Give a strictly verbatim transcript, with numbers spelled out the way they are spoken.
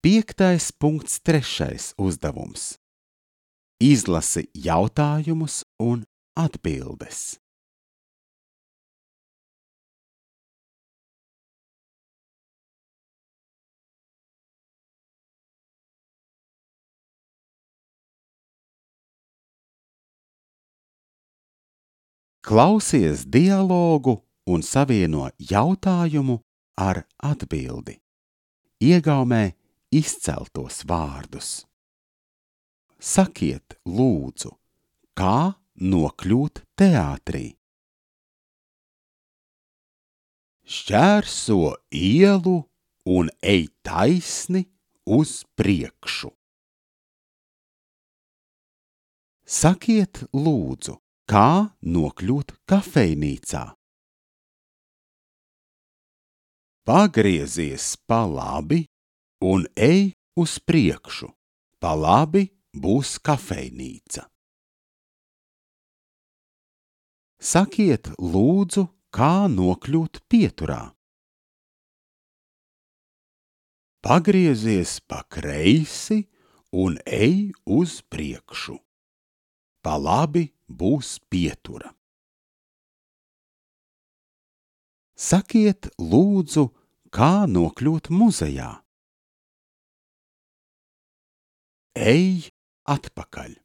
Piektais punkts trešais uzdevums. Izlasi jautājumus un atbildes. Klausies dialogu un savieno jautājumu ar atbildi. Iegaumē izceltos vārdus. Sakiet, lūdzu, kā nokļūt teātrī? Šķērso ielu un ej taisni uz priekšu. Sakiet, lūdzu, kā nokļūt kafejnīcā? Pagriezies pa labi un ej uz priekšu. Pa labi būs kafejnīca. Sakiet, lūdzu, kā nokļūt pieturā? Pagriezies pa kreisi un ej uz priekšu. Pa labi būs pietura. Sakiet, lūdzu, kā nokļūt muzejā? Ej atpakaļ.